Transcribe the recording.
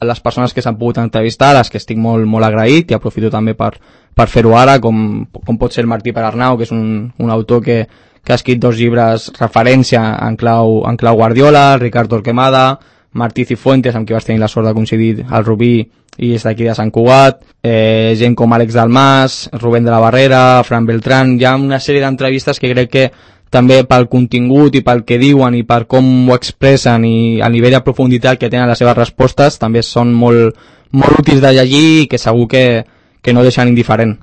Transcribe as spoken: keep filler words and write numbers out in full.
les persones que s'han pogut entrevistar, a les que estic molt, molt agraït, i aprofito també per, per fer-ho ara, com, com pot ser el Martí Perarnau, que és un, un autor que, que ha escrit dos llibres referència en clau, en clau Guardiola, Ricard Torquemada, Martí Cifuentes, amb qui vas tenir la sort de coincidir al Rubí i és d'aquí de Sant Cugat, eh, gent com Àlex Dalmas, Rubén de la Barrera, Fran Beltrán. Hi ha una sèrie d'entrevistes que crec que també pel contingut i pel que diuen i per com ho expressen i a nivell de profunditat que tenen les seves respostes també són molt, molt útils de llegir i que segur que, que no deixen indiferent.